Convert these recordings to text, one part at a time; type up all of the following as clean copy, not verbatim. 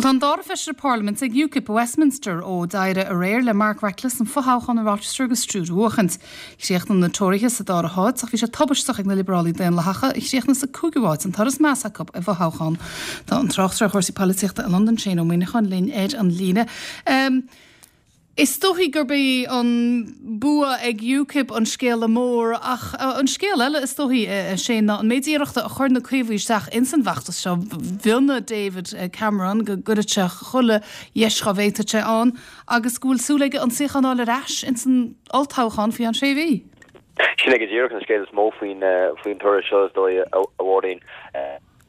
Bhuel, tá an dara feisire parlaiminte ag UKIP i Westminster ó d'éirigh aréir le Mark Reckless an fothoghchán i Rochester agus Strood a bhuachaint. Chríochnaigh na Tóraithe sa dara háit ach bhí sé tubaisteach ag na Liobrálaigh Daonlathacha a chríochnaigh sa cúigiú háit, an toradh is measa acu i bhfothoghchán. Tá an tráchtaire ar chúrsaí polaitíochta i Londain, Shane Ó Muíneacháin, linn ar an líne. Is dóichí gurb é an bua ag UKIP an scéala mór ach an scéal eile is dóichí, a Shane, ná an méid iarrachta a chuir na Caomhaigh isteach ins an bhfeachtas seo. Mhionnaigh David Cameron go gcuirfeadh sé chuile dheis dhá bhféadfadh sé ann agus go bhfuil súil aige an suíochán a fháil ar ais ins an olltoghchán faoi cheann sé mhí. Sin é go díreach an scéal is mó faoin toradh seo is dóigh, a Mháirín.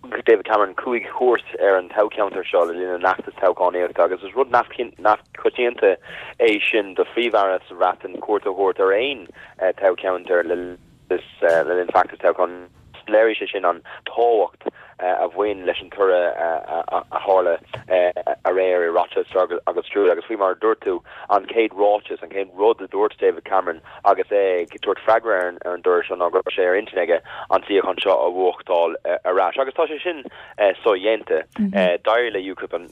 Thug David Cameron 5 chuairt ar an toghcheantar seo le linn an fheachtais toghchánaíochta agus is rud neamhchoitianta é sin do Phríomh-Aire sa Bhreatain cuairt a thabhairt ar aon toghcheantar le linn feachtas toghcháin. Léirigh sé sin an tábhacht a bhain leis an toradh a tharla aréir i Rochester agus Strood agus faoi mar a dúirt tú, an chéad ráiteas, an chéad rud a dúirt David Cameron agus é ag tabhairt freagra ar an dtoradh seo ná go raibh sé ar intinn aige an suíochán seo a bhuachtáil ar ais. Agus tá sé sin sodhéanta. D'éirigh le UKIP an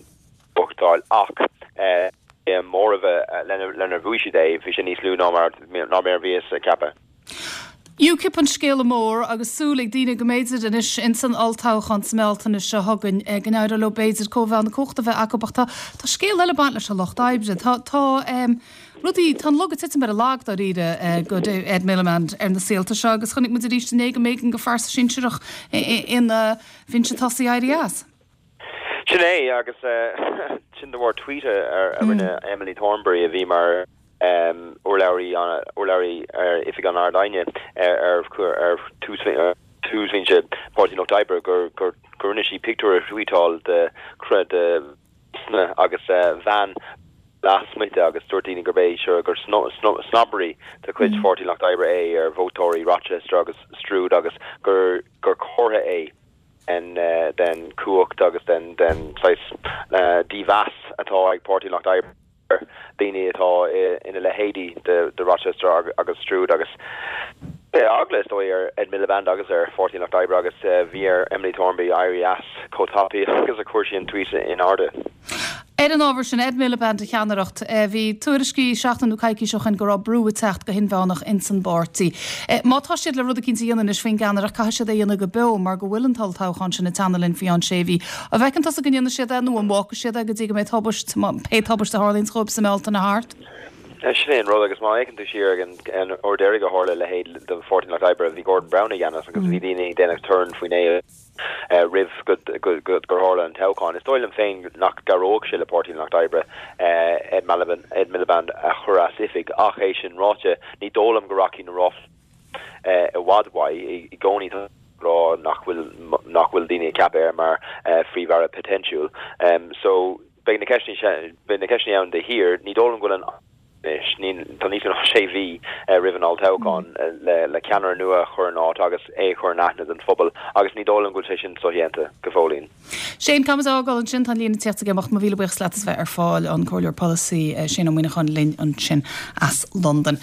bhuachtáil ach an móramh lenar bhuaigh siad é, bhí sé níos lú ná mar a bhíothas ag ceapadh. UKIP an scéala mór agus súil ag daoine go mb'fhéidir anois ins an olltoghchán sa mBealtaine seo chugainn go n-éireoidh leo b'fhéidir cóimheá na cumhachta a bheith acu ach tá tá scéal eile ag baint leis an lucht oibre. Tá tá rudaí tá an lug ag titim ar an lag dáiríre go Ed Miliband ar na saolta seo agus chonaic muid arís inné go mb'éigean go phearsa sinsearach ina bhinse tosaigh éirí as. Sin é agus sin de bharr tweet a rinne Emily Thornberry a bhí mar urlabhraí urlabhraí ar Oifig an Ard-Aighne ar ar túsbhinse Páirtí an Lucht Oibre gur gur rinne sí pictiúr a thweetáil de de agus bhean lasmuigh de agus dúirt daoine gurb é seo gur snobbery de chuid Pháirtí an Lucht Oibre é ar vótóirí Rochester agus Strood agus gur gur comhartha é den chumhacht agus den saghas dímheas atá ag Páirtí an Lucht Oibre ar dhaoine atá ina leithéidí de Rochester agus Strood agus eagla is dóigh ar Ed Miliband agus ar Pháirtí an Lucht Oibre agus bhí ar Emily Thornberry éirí as chomh tapaidh agus a chuir sí an tweet in airde. Ar an ábhar sin, Ed Miliband a cheannaireacht, bhí tuairiscí seachtain nó coicís ó shin go raibh brú ag teacht go hinmheánach ins an bpáirtí. Má tá siad le rud eicínt a dhéanamh anois faoin gceannaireacht, caithfidh siad é a dhéanamh go beo mar go bhfuil an t-olltoghchán sin ag teannadh linn faoi cheann sé mhí. An bhfeiceann tusa go ndéanfaidh siad é nó an bhfágfaidh siad é go dtí go mbeidh tubaist, pé tubaist a tharlaíonns dhóibh sa mBealtaine thart? Sin é an rud agus má fhéachann tú siar ag an uair deiridh a tharla a leithéid do Pháirtí an Lucht Oibre, bhí Gordon Brown i gceannas agus bhí daoine ag déanamh torann faoin é. roimh gur tharla an toghchán. Is dóigh liom féin nach gcabhródh sé le Páirtí an Lucht Oibre Ed Miliband a chur as oifig ach é sin ráite, ní dóigh liom go rachaidh na ráflaí i bhfad uaidh. I gcónaí tá rá nach bhfuil nach bhfuil daoine ag ceapadh air mar phríomh-aire poitéinsiúil. So beidh na ceisteanna ann de shíor. Ní dóigh liom go bhfuil an Anois, tá níos mó ná sé mhí roimh an olltoghchán le ceannaire nua a chur in áit agus é a chur in aithne don phobal agus ní dóigh liom go bhfuil sé sin sodhéanta go fóillín. Shane, caithfimid a fhágáil ansin, tá an líne ag tíocht ag imeacht. Mo mhíle buíochas leat as bheith ar fáil, an Comhairleoir Polasaí Shane Ó Muíneacháin linn ansin as Londain.